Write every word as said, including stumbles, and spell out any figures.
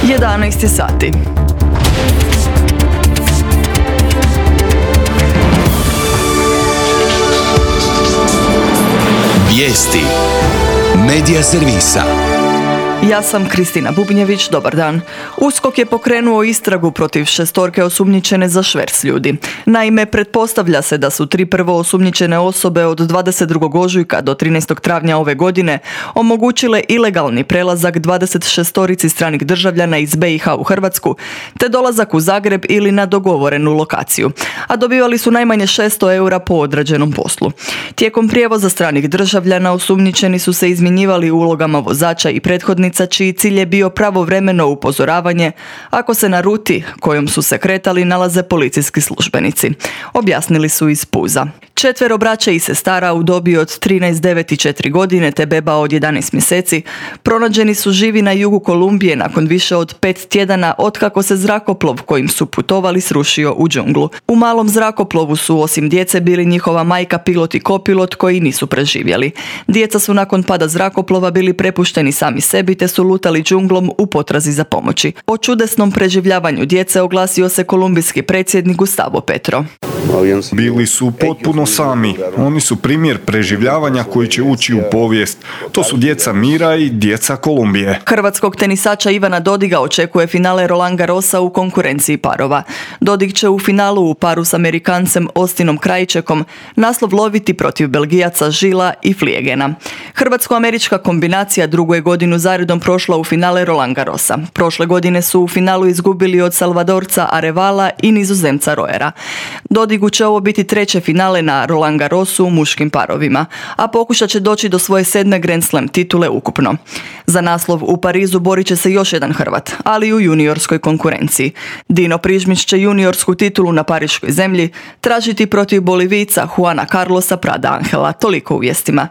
jedanaest je sati. Vijesti Medija servisa. Ja sam Kristina Bubnjević, dobar dan. USKOK je pokrenuo istragu protiv šestorke osumnjičene za šverc ljudi. Naime, pretpostavlja se da su tri prvo osumnjičene osobe od dvadeset drugog ožujka do trinaestog travnja ove godine omogućile ilegalni prelazak dvadeset šestorici stranih državljana iz be i ha u Hrvatsku, te dolazak u Zagreb ili na dogovorenu lokaciju, a dobivali su najmanje šesto eura po odrađenom poslu. Tijekom prijevoza stranih državljana osumnjičeni su se izmjenjivali ulogama vozača i prethodnica, čiji cilj je bio pravovremeno upozoravanje ako se na ruti kojom su se kretali nalaze policijski službenici, objasnili su iz Puza. Četvero braće i sestara u dobi od trinaest, devet i četiri godine te beba od jedanaest mjeseci pronađeni su živi na jugu Kolumbije nakon više od pet tjedana otkako se zrakoplov kojim su putovali srušio u džunglu. U malom zrakoplovu su osim djece bili njihova majka, pilot i kopilot koji nisu preživjeli. Djeca su nakon pada zrakoplova bili prepušteni sami sebi te su lutali džunglom u potrazi za pomoći. O čudesnom preživljavanju djece oglasio se kolumbijski predsjednik Gustavo Petro. Bili su potpuno sami. Oni su primjer preživljavanja koji će ući u povijest. To su djeca mira i djeca Kolumbije. Hrvatskog tenisača Ivana Dodiga očekuje finale Roland Garrosa u konkurenciji parova. Dodig će u finalu u paru s Amerikancem Austinom Krajčekom naslov loviti protiv Belgijaca Žila i Fliegena. Hrvatsko-američka kombinacija drugu je godinu zaredom prošla u finale Roland Garrosa. Prošle godine su u finalu izgubili od Salvadorca Arevala i Nizozemca Roera. Dodigu će ovo biti treće finale na Roland Garrosu u muškim parovima, a pokušat će doći do svoje sedme Grand Slam titule ukupno. Za naslov u Parizu borit će se još jedan Hrvat, ali u juniorskoj konkurenciji. Dino Prižmić će juniorsku titulu na pariškoj zemlji tražiti protiv Bolivijca Juana Carlosa Prada Angela. Toliko u vijestima.